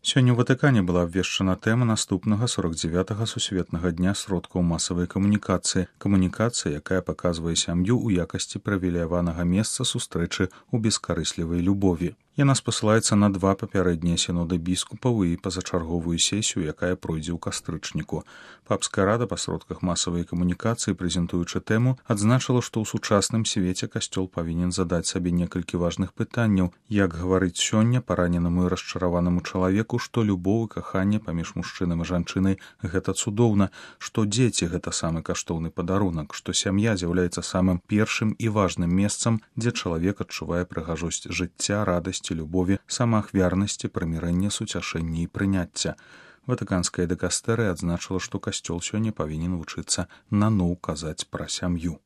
Сёння ў Ватыкане была абвешчана тэма наступнага 49-га сусветнага дня сродкаў масавай камунікацыі. Камунікацыя, якая паказвае сям'ю ў якасці прывілеяванага месца сустрэчы ў бескарыслівай любові. Яна спасылаецца на 2 папярэднія сіноды біскупаў і пазачарговую сесію, якая пройдзе ў кастрычніку. Папская рада па сродках масавай камунікацыі, прэзентуючы тэму, адзначыла, што ў сучасным свеце касцёл павінен задаць сабе некалькі важных пытанняў, як гаварыць сёння параненаму і расчараванаму чалавеку, што любоў і каханне паміж мужчынам і жанчынай гэта цудоўна, што дзеці гэта самы каштоўны падарунак, што сям'я з'яўляецца самым першым і важным месцам, дзе чалавек адчувае прыгажосць жыцця, радасць, любові, самаахвярнасці, прымірэння, суцяшэння і прыняцця. Ватыканская дыкастэрыя адзначыла, што касцёл сёння павінен вучыцца наноў казаць пра сям'ю.